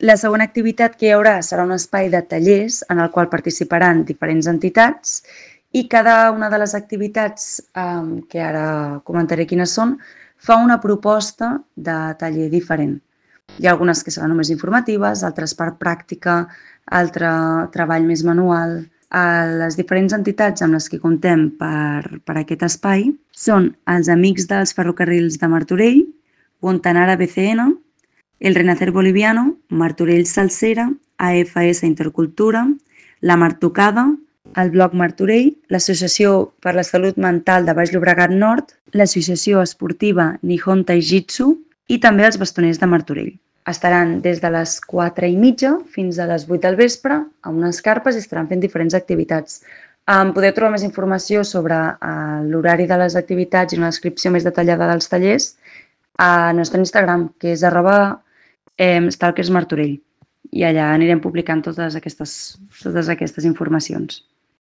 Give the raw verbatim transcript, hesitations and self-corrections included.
La segona activitat que hi haurà serà un espai de tallers en el qual participaran diferents entitats i cada una de les activitats, eh, que ara comentaré quines són, fa una proposta de taller diferent. Hi ha algunes que seran només informatives, altres per pràctica, altre treball més manual. Les diferents entitats amb les que comptem per, per aquest espai són els Amics dels Ferrocarrils de Martorell, Guantanara B C N, el Renacer Boliviano, Martorell Salsera, A F S Intercultura, la Martocada, el Bloc Martorell, l'Associació per la Salut Mental de Baix Llobregat Nord, l'Associació Esportiva Nihon Taijitsu i també els Bastoners de Martorell. Estaran des de les quatre i mitja fins a les vuit del vespre amb unes carpes i estaran fent diferents activitats. Podeu trobar més informació sobre l'horari de les activitats i una descripció més detallada dels tallers al nostre Instagram, que és arroba stalkers martorell. I allà anirem publicant totes aquestes, totes aquestes informacions.